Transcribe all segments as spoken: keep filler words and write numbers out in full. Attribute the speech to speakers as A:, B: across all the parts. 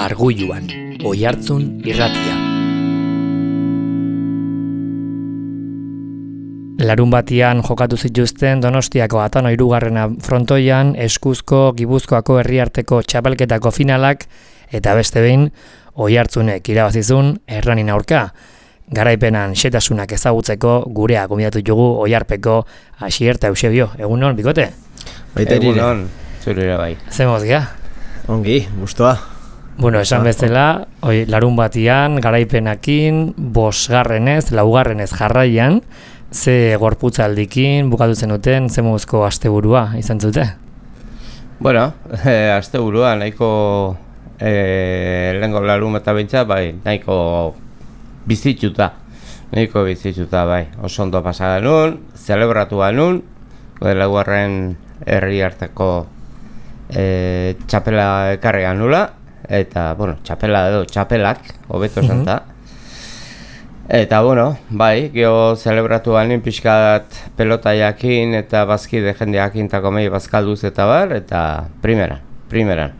A: Argulluan, Oihartzun irratia. Larun batian jokatu zituzten Donostiako Atano hirugarrena frontoian Eskuzko Gipuzkoako herriarteko txapelketako finalak eta beste behin Oihartzunek irabazizun Erranin aurka. Garaipenan xetasunak ezagutzeko gurea gonbidatu dugu Oiharpeko Asier eta Eusebio. Egunon, bikote?
B: Baita egunon, zure bai.
A: Zemoz gea?
B: Ongi, gustoa.
A: Bueno, esan bezala, oi, larun batian, garaipenakin, bosgarrenez, laugarrenez jarraian, ze gorputzaldikin bukatu zenuten, ze mozko asteburua izan zute?
B: Bueno, eh, asteburua nahiko eh, lehenko larun eta bintza, bai, nahiko bizitzuta, nahiko bizitzuta, bai. Oso ondo pasa genuen, zelebratu genuen, laugarren herri harteko eh, txapela ekarri genula, eta, bueno, txapela edo txapelak, hobeto esan da. Eta, bueno, bai, geho zelebratu ganin pixkat pelota jakin eta bazkide jende jakintako mehi bazkalduz eta bar, eta primeran, primeran.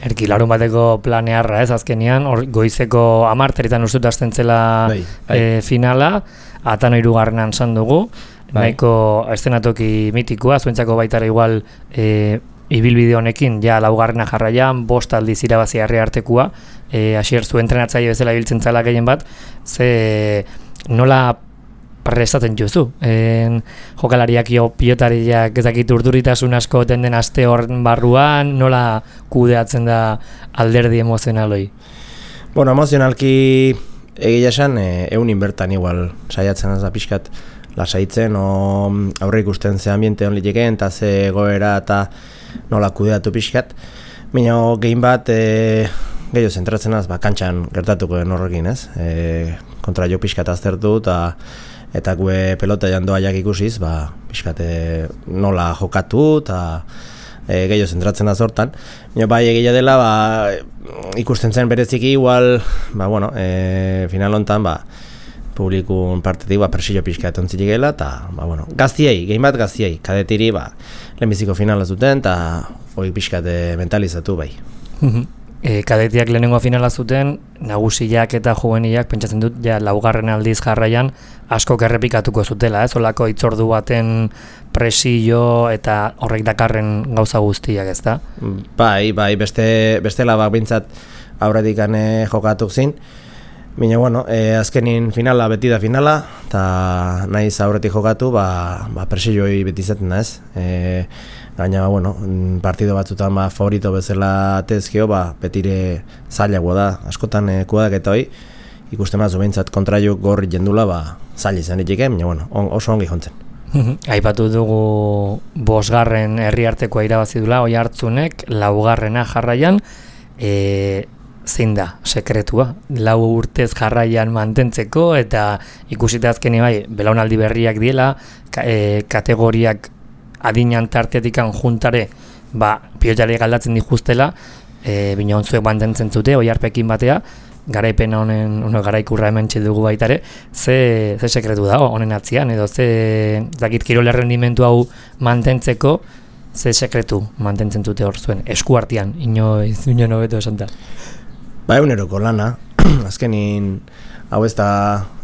A: Erki, larun bateko planearra ez, azkenian, or, goizeko amarteritan ustut hasten zela bai, bai. E, finala, Atano hirugarrenan zan dugu, bai. Nahiko eszenatoki mitikoa, zuentzako baitara igual e, ibilbide honekin, ja laugarrena jarraian, bost aldiz irabazi herriartekoa, e, Asier zu entrenatzaile bezala ibiltzen zala gehien bat, ze nola prestatzen juzu. E, jokalariak jo pilotariak ezakit urduritasun asko tenden aste horren barruan, nola kudeatzen da alderdi emozionaloi?
C: Bueno, emozionalki egia esan, e, eunin bertan igual saiatzen ez da pixkat lasaitzen, o aurre ikusten ze ambiente hon litekeen, eta ze goera eta nola kudeatu pixkat. Baina gehin bat e, gehiago zentratzen az, ba, kantxan gertatuko den horrekin, ez? E, kontra jo pixkat aztertu eta eta gue pelota jandoaiak ikusiz, ba, pixkat e, nola jokatu eta e, gehiago zentratzen az hortan. Baina bai egia dela, ba, ikusten zen bereziki igual, ba, bueno, e, final hontan, ba, publikun partetik ba, persillo pixka etontzilik gela, eta ba, bueno, gaztiei, gehin bat gaztiei, kadetiri ba, lehenbiziko finala zuten, eta hori pixkat mentalizatu bai.
A: e, kadetiak lehenengo finala zuten, nagusiak eta juvenilak, pentsatzen dut, ja, laugarren aldiz jarraian, asko errepikatuko zutela, ez? Olako itzordu baten presillo eta horrek dakarren gauza guztiak, ez da?
C: Bai, bai, beste, bestela bak bintzat aurretik gane jokatuk zin. Baina, bueno, e, azkenin finala beti da finala, eta nahiz aurretik jokatu, ba, ba presilloi beti izaten da, ez? E, gaina, bueno, partido batzutan ba, favorito bezala atezkio, ba, betire zailagoa da, askotan e, kuadak eta hoi, ikusten batzu behintzat kontraiuk gorri jendula, ba, zaila izan ditik, baina, bueno, on, oso ongi jontzen.
A: Aipatu dugu bosgarren herriartekoa irabazi dula, Oihartzunek, laugarrena jarraian, e, zein da sekretua, lau urtez jarraian mantentzeko eta ikusita azkeni bai, belaunaldi berriak diela, ka, e, kategoriak adinan tartetikan juntare, ba, pilotariak aldatzen dituztela, e, bina ontzuek mantentzen zute, Oiharpekin batea, garaipen honen, uno, garaikurra hemen dugu baitare, ze, ze sekretu dago honen atzian, edo ze, zakit kirol errendimentu hau mantentzeko, ze sekretu mantentzen zute hor zuen, eskuartian, inoiz, ino nobeto esan da.
C: Ba, eguneroko lana, azkenin hau ez da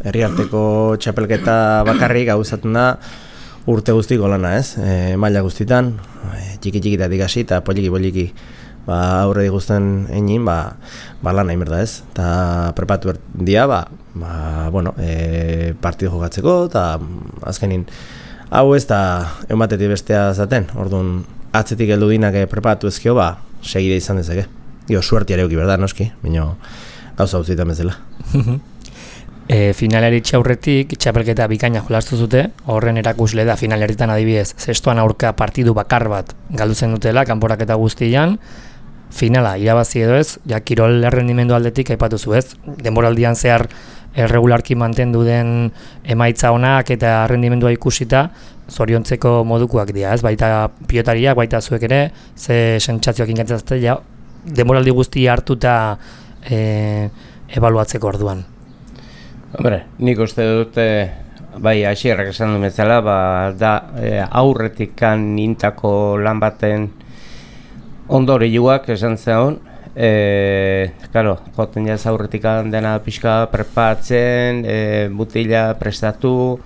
C: herriarteko txapelketa bakarrik hau izaten da urte guztiko lana, ez? E, maila guztitan, e, txiki-txikitatik hasi eta poliki-poliki ba, aurre diguzten egin, ba, ba lana inberda, ez? Eta prepatu dia, ba, ba bueno, e, partido jokatzeko, eta azkenin hau ez da egun batetik bestea zaten, orduan atzetik heldu dinak prepatu ezkio, ba, segide izan dezake. Dio, suerti areuki, berda, noski, baina gauza guztietan bezala.
A: e, finalari txaurretik, txapelketa bikaina jolastu zute, horren erakusle da finaleritan adibidez, zestoan aurka partidu bakar bat galduzen dutela, kanporaketa guztian, finala, irabazi edo ez, ja, kirol errendimendu aldetik aipatu zu ez, denboraldian zehar erregularki mantendu den emaitza onak eta errendimendua ikusita, zoriontzeko modukoak dira, ez, baita pilotariak, baita zuek ere, ze sentsazioak inkatzazte, ja, demoraldi guzti hartuta e, ebaluatzeko orduan.
B: Hombre, nik uste dute, bai, Asierrak esan du bezala, ba, da e, aurretik kan intako lan baten ondorioak esan zeon, E, claro, joten jaz aurretik dena pixka preparatzen, e, butila prestatu,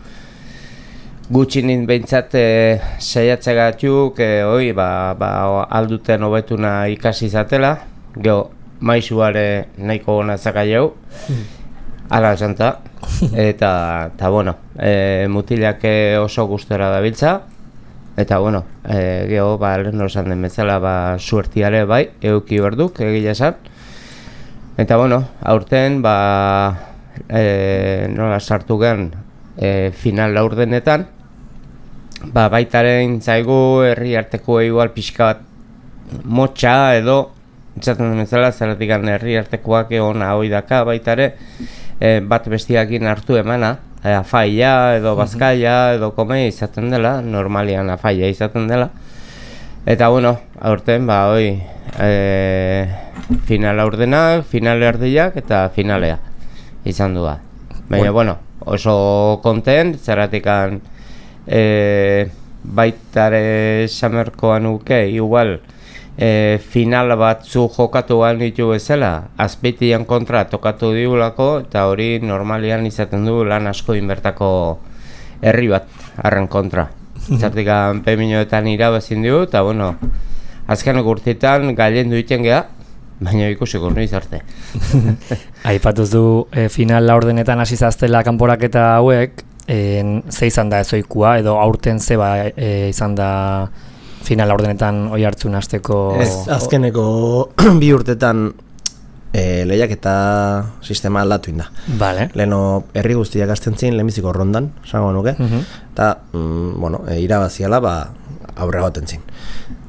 B: gutxinin behintzat e, saiatzagatuk, e, oi, ba, ba, alduten hobetuna ikasi izatela, geho, maisuare nahiko gona zakaiau, ala esanta, eta, eta bueno, e, mutilak oso gustora dabiltza, eta bueno, e, geho, ba, lehen osan den bezala, ba, suertiare bai, euki berduk, egila esan. Eta bueno, aurten, ba, e, nola sartu gen, e, final laurdenetan, ba, baitaren zaigu herri arteko igual pixka bat motxa edo, itzaten den bezala, zeratik herri artekoak egon hoi daka baitare, e, bat bestiakin hartu emana, afaia edo bazkaia edo komei izaten dela, normalian afaia izaten dela. Eta bueno, aurten ba hoi e, final aurdenak, final erdiak eta finalea izan du da. Baina bueno, oso kontent, zerratikan e, baitare samerkoan uke, igual E, final batzu jokatu behar ditu bezala, Azpeitian kontra tokatu diulako, eta hori normalian izaten du lan asko inbertako herri bat, harren kontra. Zertikan peminoetan irabazin diu, eta bueno, azken urteetan gailendu iten geha, baina ikusiko noiz arte.
A: Aipatuz du e, final laurdenetan hasi zaztela kanporaketa hauek, e, ze izan da ezoikua, edo aurten ze ba, e, izan da final ordenetan oi hartzun hasteko...
C: Ez, azkeneko bi urtetan e, lehiaketa sistema aldatu inda.
A: Vale.
C: Leheno herri guztiak hasten zin, lehenbiziko rondan, esango nuke, eta uh -huh. mm, bueno, e, irabaziala ba, aurrera goten zin.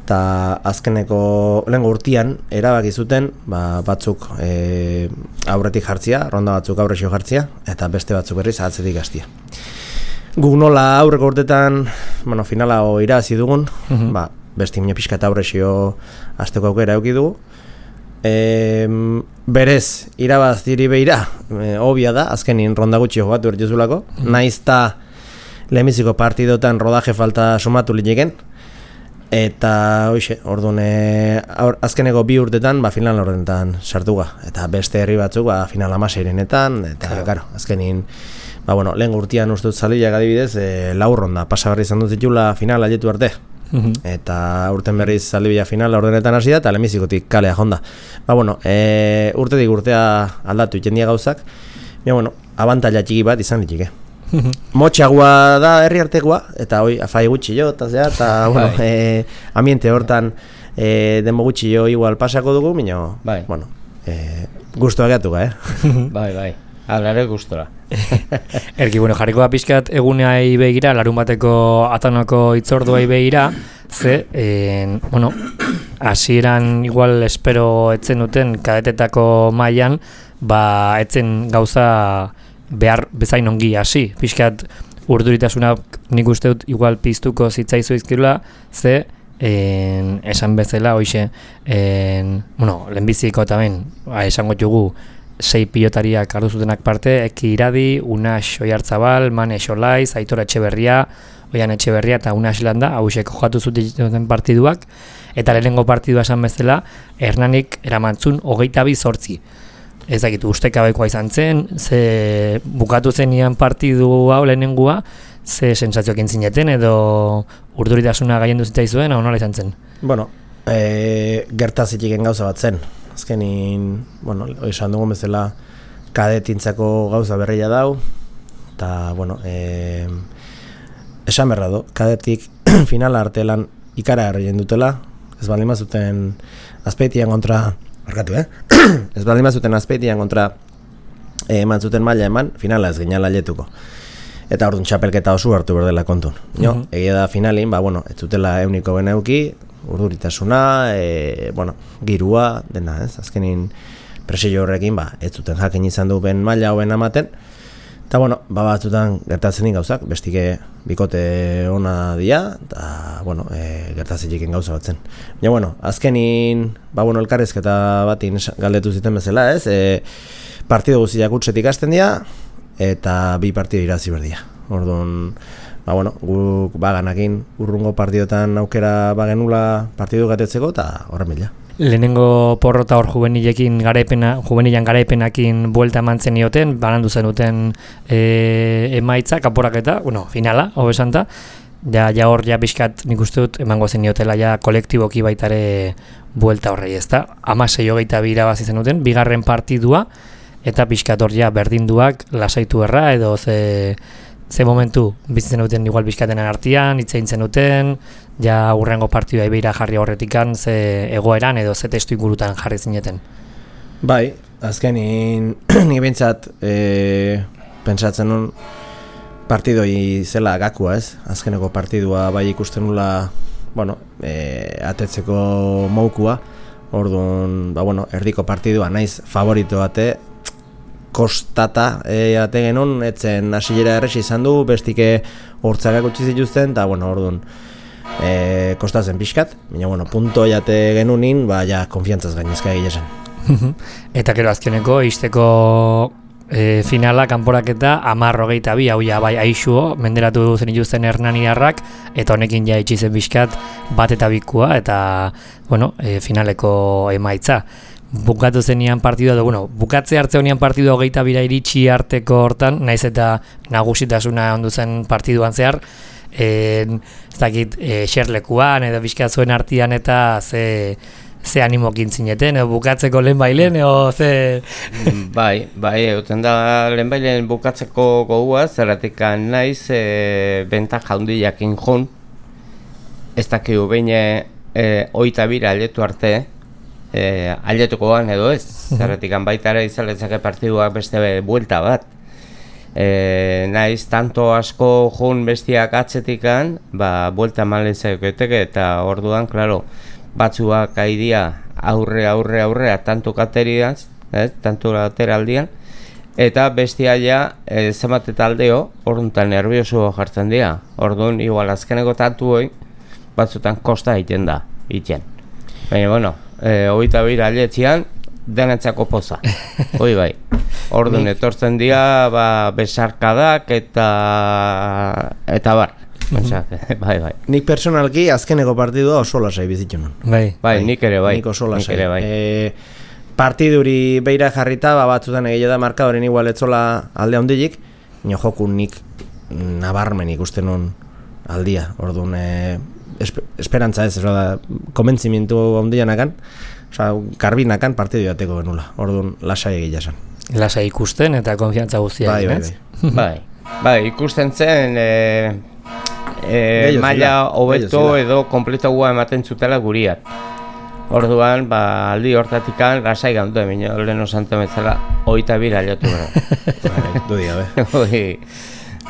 C: Eta azkeneko lehenko urtean erabaki zuten ba, batzuk e, aurretik jartzia, ronda batzuk aurrexio jartzia, eta beste batzuk berriz atzetik hastia. Guk nola aurreko urtetan, bueno, finala irabazi dugun, uh-huh. ba, besti minio pixka eta aurrexio azteko aukera euki dugu. E, berez, irabaz diri behira, e, obia da, azkenin ronda gutxi jogatu ertizulako, uh-huh. naiz ta lehenbiziko partidotan rodaje falta sumatu lineken, eta hoxe, orduan e, azkeneko bi urtetan, ba, final ordenetan sartuga, eta beste herri batzuk, ba, final amaseirenetan, eta, karo, claro, azkenin, ba, bueno, lehen urtean uste dut Zaldiak adibidez, e, lau ronda, pasa berri izan dut zitula final aietu arte. Uh-huh. Eta urten berriz Zaldibia final ordenetan hasi da, eta lehenbizikotik kalea jonda. Ba, bueno, e, urtetik urtea aldatu itendia gauzak, baina, bueno, abantaila txiki bat izan ditike. Uh-huh. Motxagua da herri artekoa, eta hoi, afai gutxi jo, eta zea, eta, bueno, e, ambiente hortan e, denbo gutxi jo igual pasako dugu, baina, bueno, e, guztua geatuga, eh?
B: Bai, bai. Alare gustora.
A: Erki, bueno, jarriko da pixkat eguneai begira, larun bateko atanako itzorduai begira, ze, en, bueno, hasieran igual espero etzen duten kadetetako mailan, ba, etzen gauza behar bezain ongi hasi. Pixkat urduritasuna nik uste dut igual piztuko zitzaizu izkirula, ze, en, esan bezala, hoxe, en, bueno, lehenbiziko eta ben, esango jugu, sei pilotariak hartu zutenak parte, Eki Iradi, Unax Oiartzabal, Mane Xolaiz, Aitor Etxeberria, Oian Etxeberria eta Unax Landa, hausek jokatu zuten partiduak, eta lehenengo partidua esan bezala, Hernanik eramantzun hogeita bi zortzi. Ez dakitu, ustekabekoa izan zen, ze bukatu zenian partidu hau lehenengua, ze sensazioak intzineten edo urduritasuna gaien duzitzaizuen, hau nola izan zen?
C: Bueno, e, gertazitiken gauza bat zen. Azkenin, bueno, esan dugun bezala kadetintzako gauza berria dau, eta, bueno, e, esan berra do, kadetik finala artelan ikara erreien dutela, ez baldin mazuten Azpeitian kontra, arkatu, eh? ez baldin mazuten Azpeitian kontra e, eman zuten maila eman, finala ez ginala letuko. Eta orduan txapelketa oso hartu berdela kontun. Jo, uh-huh. egia da finalin, ba, bueno, ez zutela euniko beneuki, urduritasuna, e, bueno, girua, dena, ez? Azkenin presio horrekin, ba, ez zuten jakin izan du ben maila hoben amaten. Eta, bueno, ba, batzutan gertatzen gauzak, bestike bikote ona dia, eta, bueno, e, gertatzen jiken gauza batzen. Baina, bueno, azkenin, ba, bueno, elkarrezketa batin galdetu ziten bezala, ez? E, partido guztiak utzetik hasten dira, eta bi partido irazi berdia. Orduan, ba, bueno, guk baganakin urrungo partidotan aukera bagenula partidu gatetzeko, eta horren bila.
A: lehenengo porrota hor juvenilekin garaipena, juvenilan garaipenakin buelta eman zenioten, banandu zenuten e, emaitza, kanporaketa, bueno, finala, hobe esanta, ja, ja hor ja bizkat nik uste dut emango zeniotela ja kolektiboki baitare buelta horrei, ezta? Hamasei hogeita bi irabazi zenuten, bigarren partidua, eta bizkat hor ja berdinduak lasaitu erra, edo ze, ze momentu bizitzen duten igual bizkatenen artean, hitzein zenuten, ja hurrengo partidua beira jarri horretikan, ze egoeran edo ze testu ingurutan jarri zineten.
C: Bai, azkenin nik behintzat e, pentsatzen nun partidoi zela gakua, ez? Azkeneko partidua bai ikusten nula, bueno, e, atetzeko moukua, orduan, ba, bueno, erdiko partidua naiz favorito bate, kostata e, ate genuen, etzen hasilera erresi izan du, bestike hortzakak utzi zituzten, eta, bueno, orduan, e, kostatzen pixkat, baina, bueno, punto jate genunin, ba, ja, konfiantzaz gainezka egia zen.
A: Eta gero azkeneko, izteko e, finala, kanporaketa, hamar hogeita bi, hau ja, bai, aixuo, menderatu zen ituzten Hernaniarrak, eta honekin ja itxizen bizkat bat eta bikua, eta, bueno, e, finaleko emaitza. Bukatu zenian partidua, edo, bueno, bukatze hartze honian partidua hogeita bira iritsi arteko hortan, naiz eta nagusitasuna ondu zen partiduan zehar, e, ez dakit, e, xerlekuan, edo bizkat zuen artian eta ze... ze animokin zineten, edo bukatzeko lehen bailen, edo ze...
B: Bai, bai, egoten da lehen bailen bukatzeko gogua, zerratik naiz, e, bentak jaundiakin jun, ez dakigu behin e, oita bira aletu arte, e, aletukoan edo ez, zerratik baitara izaletzake partiduak beste buelta bat. E, naiz, tanto asko jun bestiak atzetikan, ba, buelta malezaketeke, eta orduan, klaro, batzuak aidia aurre, aurre, aurrea, tanto kateriaz, eh, tanto lateraldian, eta bestia ja, eh, zemate taldeo, orduan nervioso jartzen dira. Orduan, igual azkeneko tantu hoi, batzutan kosta egiten da, egiten. Baina, bueno, eh, hogeita bira aletzean, denetzako poza, hoi bai. Orduan, etortzen dira, ba, besarkadak eta, eta bar. Bai, bai.
C: Nik personalki azkeneko partidua oso lasai bizitu nun.
A: Bai,
B: bai, nik ere bai.
C: Nik oso lasai.
B: Nik ere bai.
C: E, partiduri beira jarrita, ba, batzutan egia da markadoren igual etzola alde handilik, nio joku nik nabarmen ikusten nun aldia. Orduan, e, esper, esperantza ez, da, komentzimientu handianakan, oza, garbinakan partidu bateko genula. Orduan, lasai egia zen.
A: Lasai ikusten eta konfiantza guztia.
C: Bai, bai,
B: bai. bai, bai, ikusten zen... E... E, maila hobeto edo kompletoa ematen zutela guriak. Orduan, ba, aldi hortatikan lasai gandu emin, lehen osanto metzala oita bira aliotu gara.
C: Dudik, abe.
B: Hoi,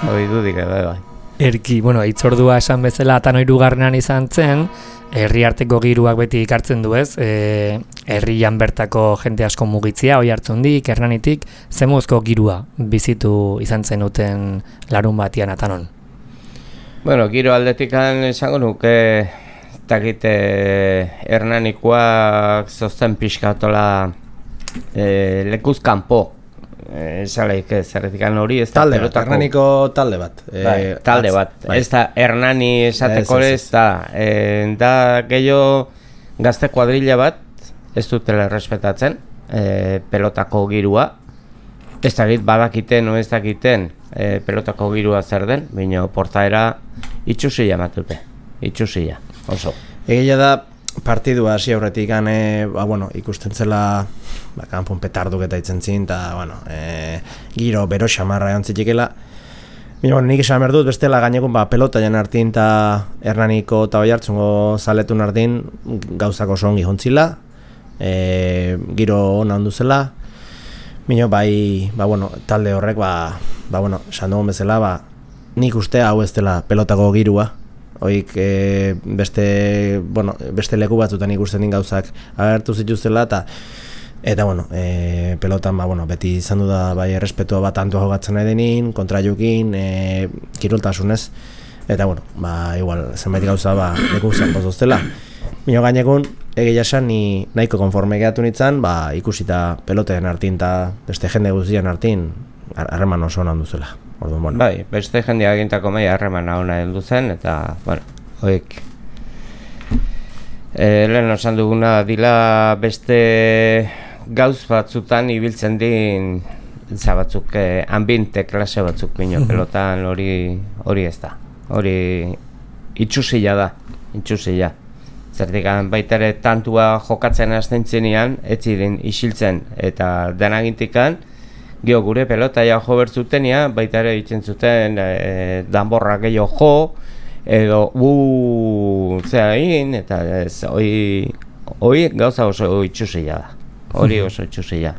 B: hoi dudik, abe, bai.
A: Erki, bueno, itzordua esan bezala eta noirugarrenan izan zen, herriarteko giruak beti ikartzen du ez, e, herrian bertako jente asko mugitzia, oi hartzundik, Hernanitik, zemuzko girua bizitu izan zenuten larun batian atanon?
B: Bueno, giro aldetikan esango nuke, takite Hernanikoak zozten pixkatola e, lekuz kanpo. Esalaik ez, erretikan hori ez da
C: talde
B: pelotako...
C: bat, Hernaniko talde bat.
B: Bai,
C: e,
B: talde
C: atz,
B: bat,
C: bai.
B: ez da Hernani esateko ez da. E, da gehiago gazte kuadrilla bat, ez dutela errespetatzen, e, pelotako girua. Ez dakit badakiten o ez dakiten e, pelotako girua zer den, baina portaera itxusia matute, itxusia, oso.
C: Egia da, partidua hasi aurretik e, ba, bueno, ikusten zela ba, kanpon petarduk eta itzen zin, eta bueno, e, giro bero xamarra egon zitekela. Baina bueno, nik esan behar dut, bestela gainekun ba, pelota jan hartin eta Hernaniko eta oi hartzungo zaletun hartin gauzako oso ongi jontzila, e, giro ona ondu zela. Mino, bai, ba, bueno, talde horrek, ba, ba, bueno, esan dugun bezala, ba, nik uste hau ez dela pelotako girua. Oik, e, beste, bueno, beste leku batzutan ikusten din gauzak agertu zituztela, eta, eta, bueno, e, pelotan, ba, bueno, beti izan du da, bai, errespetua bat antua jogatzen nahi denin, kontra jukin, e, kiroltasunez, eta, bueno, ba, igual, zenbait gauza, ba, leku zanpozoztela. Mino gainekun, egia esan, ni nahiko konforme gehatu nintzen, ba, ikusita peloteen hartin eta beste jende guztian hartin, harreman oso hona duzela. Orduan, bueno.
B: Bai, beste jendea egintako maila harreman hona heldu zen, eta, bueno, hoik E, lehen osan duguna dila beste gauz batzutan ibiltzen din za batzuk, eh, ambiente klase batzuk bino, pelotan hori hori ez da. Hori itxusila da, itxusila. Zertik baita ere tantua jokatzen hasten txenean, etziren isiltzen eta denagintikan, geho gure pelotaia jo bertzutenia, baita ere itzen zuten e, danborra gehiago jo, edo u zera egin, eta ez, hoi, hoi gauza oso itxusila da. Hori oso itxusila.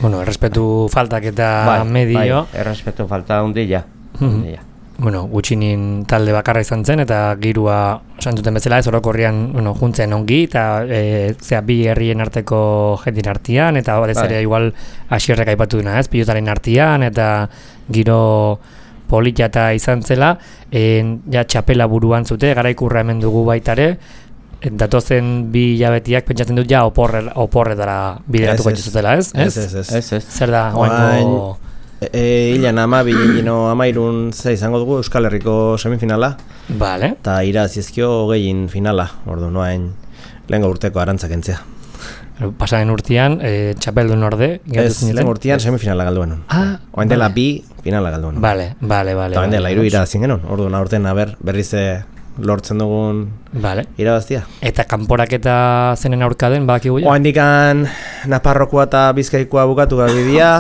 A: Bueno, errespetu faltak eta
B: bai,
A: medio.
B: Bai, errespetu falta hundila. hundila.
A: Bueno, gutxinin talde bakarra izan zen, eta girua santuten bezala ez orokorrian bueno, juntzen ongi, eta e, zera, bi herrien arteko jendin artean, eta batez ere igual asierrek aipatu duna ez, pilotaren artean, eta giro polita eta izan zela, en, ja txapela buruan zute, garaikurra hemen dugu baitare, datozen bi hilabetiak pentsatzen dut ja oporre, oporretara bideratuko dituzutela, ez?
C: Ez, ez, ez.
B: Ez, ez.
A: Zer da, oaingo...
C: E, Ilan ama, bilino amairun ze izango dugu Euskal Herriko semifinala.
A: Vale.
C: Eta irazizkio hogeiin finala, ordu noain lehengo urteko arantzak entzea.
A: Pasaren urtean, e, txapeldun orde.
C: Ez, lehen urtean semifinala galduen.
A: Ah,
C: oain dela bi finala galduen.
A: Vale, vale, vale.
C: Eta oain dela
A: vale,
C: iru irazien genuen, ordu naurten aber berriz lortzen dugun
A: vale.
C: Irabaztia.
A: Eta kanporaketa zenen aurka den, bakigu ja?
C: Oain dikan Naparrokoa eta Bizkaikoa bukatu gabidia.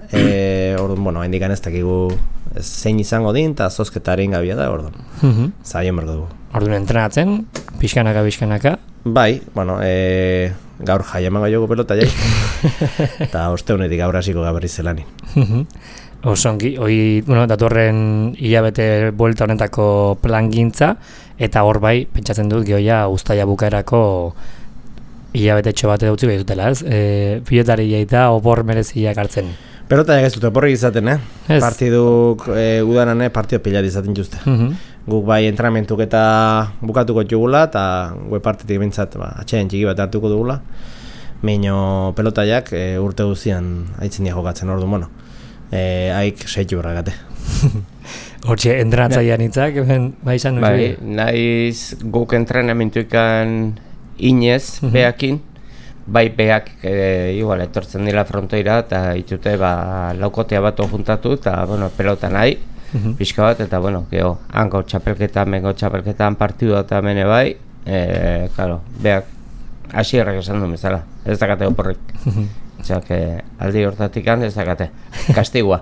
C: E, orduan, bueno, hain dikan ez dakigu zein izango din, eta zozketaren gabia da, orduan.
A: Uh-huh.
C: Zaion berdu dugu.
A: Orduan entrenatzen, pixkanaka, pixkanaka.
C: Bai, bueno, e, gaur jai emango jogu pelota jai. Eta osteunetik gaur hasiko gaberri zelanin.
A: Uh-huh. Osongi, hoi, bueno, datorren hilabete buelta honetako plangintza, eta hor bai, pentsatzen dut, gehoia uztaia bukaerako hilabete etxo bat edautzi behar dutela, ez? E, pilotari jaita opor mereziak hartzen.
C: Pelota ez dute oporrik izaten, eh?
A: Ez.
C: Partiduk e, udanan, eh? Partido pilar izaten juzte.
A: Uh-huh.
C: Guk bai entrenamentuk eta bukatuko jugula, eta gue partitik bintzat, ba, atxean txiki bat hartuko dugula. Meino pelotaiak e, urte guzian aitzen dia jokatzen, ordu, bueno. E, haik seitu berragate.
A: Hortxe, entrenatzailean hitzak, bai izan
B: bai, naiz guk entrenamentuikan inez, uh-huh. beakin, bai beak e, igual etortzen dira frontoira eta itute ba, laukotea bat juntatu eta bueno, pelota nahi, uh-huh. pixka bat eta bueno, geho, hango txapelketan, mengo txapelketan partidu eta mene bai, e, claro, beak hasierrak esan du bezala, ez dakate oporrik. Uh-huh. Osea, aldi hortatik ez dakate, kastigua.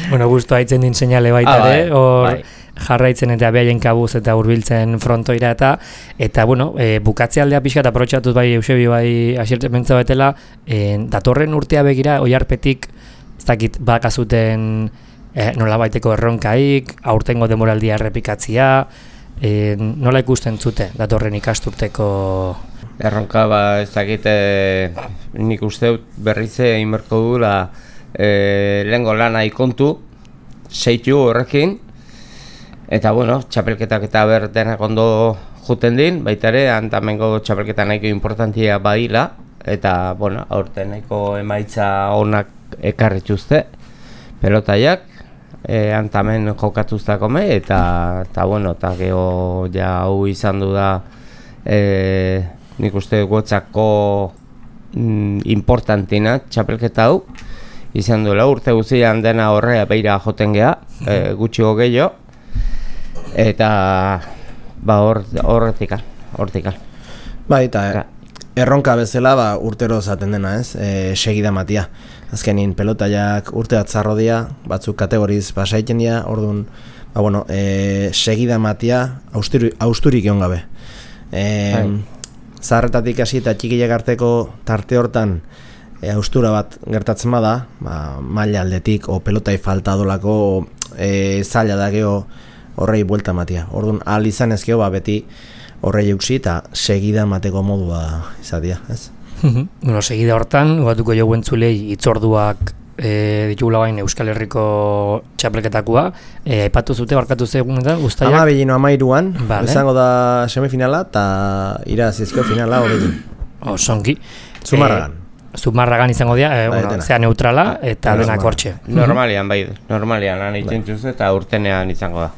A: Bueno, gustu haitzen din seinale baita
B: ah,
A: ere, hor
B: bai.
A: jarraitzen eta behaien kabuz eta hurbiltzen frontoira eta eta bueno, e, bukatze aldea pixka eta aprotxatuz bai Eusebio bai asiertzen mentza betela, e, datorren urtea begira oiarpetik ez dakit bakazuten e, nola baiteko erronkaik, aurtengo demoraldia errepikatzia, e, nola ikusten zute datorren ikasturteko...
B: Erronka ba ez dakite nik uste berrize inberko dula e, lehengo lana ikontu, seitu horrekin, eta bueno, txapelketak eta ber denak ondo juten din, baita ere, antamengo txapelketa nahiko importantia badila, eta bueno, aurten nahiko emaitza onak ekarrituzte, pelotaiak, e, antamen jokatuztakome, eta, eta bueno, eta geho ja hau izan du da, e, nik uste gotzako mm, importantina txapelketa hau izan duela urte guztian dena horrea beira joten geha, e, gutxi gehiago eta ba hor horretikan, hortikan.
C: Bai, eta erronka bezala ba urtero zaten dena, ez? E, segida matia. Azkenin pelotaiak urte atzarro dia, batzuk kategoriz pasaiten dira, orduan ba bueno, e, segida matia austuri, austurik egon gabe. E, Zaharretatik hasi eta txikiak arteko tarte hortan e, austura bat gertatzen bada, ba, maila aldetik o pelotai falta dolako e, zaila da geho horrei buelta matia. Orduan, ahal izan ezkeo, ba, beti horrei euksi eta segida mateko modua izatea, ez?
A: Bueno, segida hortan, batuko jo guentzulei itzorduak e, ditugula bain Euskal Herriko txapelketakoa, e, aipatu zute, barkatu zegunetan, guztaiak?
C: Ama begino amairuan,
A: vale.
C: Izango da semifinala eta irazizko finala hori.
A: Osongi.
C: Zumarragan.
A: E, Zumarragan izango dira, e, bueno, zea neutrala eta denak hortxe.
B: Normalian, bai, normalian, han itzintuz eta urtenean izango da.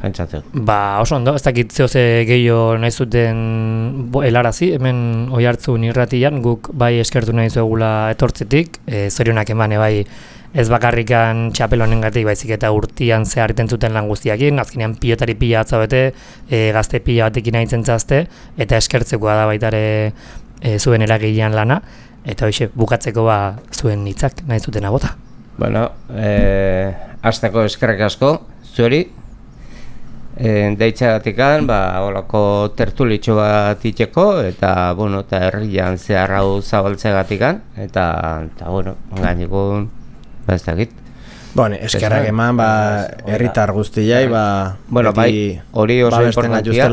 B: pentsatzen.
A: Ba, oso ondo, ez dakit zehoze gehiago nahi zuten helarazi, hemen Oiartzun irratian, guk bai eskertu nahi zuegula etortzetik, e, zorionak emane bai ez bakarrikan txapel honengatik baizik eta urtian zehar iten zuten lan guztiakin, azkenean pilotari pila atza bete, e, gazte pila batekin nahitzen zazte, eta eskertzekoa da baitare e, zuen eragilean lana, eta hoxe, bukatzeko ba zuen hitzak nahi zuten agota.
B: Bueno, eh, hasteko eskerrik asko, zueri, e, deitxagatikan, ba, holako tertulitxo bat itxeko, eta, bueno, eta herrian zehar hau zabaltzegatikan, eta, eta, bueno, gainekun, ba, ez dakit.
C: Bueno, eskerrak eman, ba, herritar guztiai, ba,
B: bueno, bai, hori oso importantia.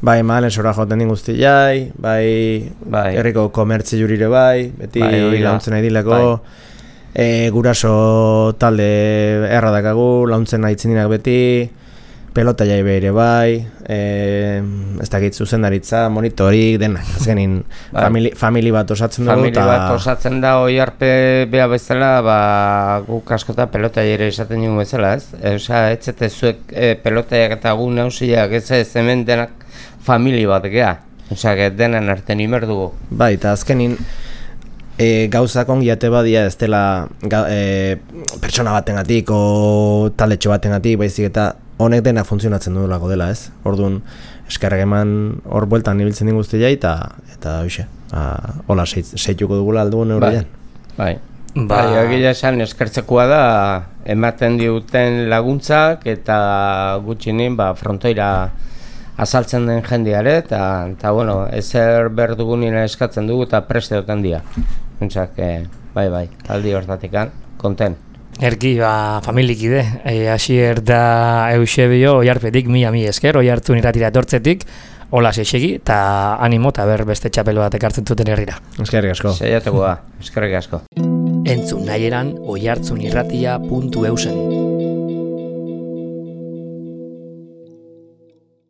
C: Bai, malen sora joten din guztiai, bai,
B: bai,
C: herriko komertzi jurire bai, beti
B: bai,
C: launtzen nahi dileko, bai. e, guraso talde erra dakagu, launtzen nahi txindinak beti, pelota jai behire bai, e, ez dakit zuzendaritza, monitorik, denak, azkenin bai. famili, famili bat osatzen dugu.
B: Famili bat osatzen da Oiarpe beha bezala, ba, guk askota pelota jere esaten dugu bezala, ez? Osa, ez zete zuek e, pelotaiak eta gu nausiak, ez ez hemen denak famili bat gea, osea, denen arten imer dugu.
C: Bai, eta azkenin e, gauzak ongiate badia ez dela ga, e, pertsona batengatik o taldetxo batengatik, baizik eta honek denak funtzionatzen duelako dela, ez? Orduan, eskerrak eman hor bueltan ibiltzen din guztia eta eta hoxe, hola seituko dugula aldugun neurrian.
B: Bai, bai. Ba, egia esan eskertzekoa da ematen diuten laguntzak eta gutxinin ba, frontoira azaltzen den jendeare, eta, eta bueno, ezer behar dugunina eskatzen dugu eta preste duten dia. Entzak, eh, bai, bai, aldi hortatikan, konten.
A: Erki, ba, familikide, e, Asier da Eusebio, Oiarpetik, mila mi esker, Oiartzun irratira etortzetik, hola seixegi, eta animo, eta ber beste txapelo bat ekartzen zuten herrira.
C: Eskerrik asko.
B: Seiatuko da, eskerrik asko.
A: Entzun nahi eran, oiartzunirratia puntu eusen.